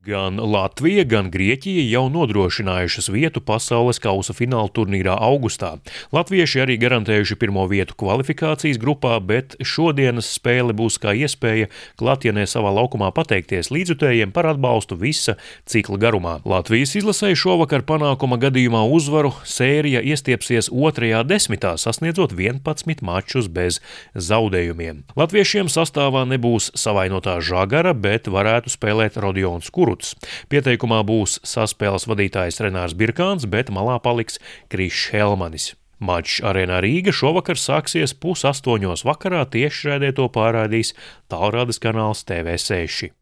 Gan Latvija, gan Grieķija jau nodrošinājušas vietu pasaules kausa fināla turnīrā augustā. Latvieši arī garantējuši pirmo vietu kvalifikācijas grupā, bet šodienas spēle būs kā iespēja Klatjenē savā laukumā pateikties līdzjutējiem par atbalstu visa cikla garumā. Latvijas izlasē šovakar panākuma gadījumā uzvaru sērija iestiepsies otrajā desmitā, sasniedzot 11 mačus bez zaudējumiem. Latviešiem sastāvā nebūs savainotā Žagara, bet varētu spēlēt Rodions Kuruts. Pieteikumā būs saspēles vadītājs Renārs Birkāns, bet malā paliks Krišs Helmanis. Mačs Arēnā Rīga šovakar sāksies 7:30 vakarā, tiešraidē to pārraidīs tālrādes kanāls TV6.